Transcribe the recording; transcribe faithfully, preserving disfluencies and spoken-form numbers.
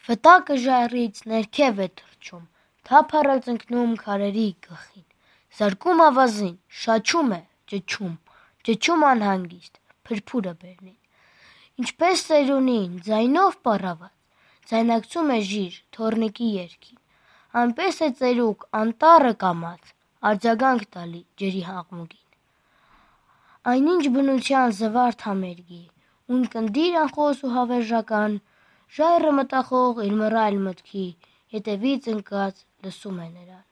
Վտակը ժայռից ներքև է թռչում, թափառ է ծնկնում քարերի գլխին, զարկում ավազին, շաչում է, ճչում, ճչում անհանգիստ, փրփուրը բերնին, ինչպես ծերունին, ձայնով պառաված, ձայնարկում է ժիր, թոռնիկի երգին, այնպես է ծերուկ, անտառը կամաց, արձագանք տալի ջրի հաղմուկին, այնինչ բնության զվարթ համերգի, ուն կնդիր անխոս ու հավերժական, ժայռը մտախոհ իր մռայլ մտքի, ետևից ընկած լսում է նրան: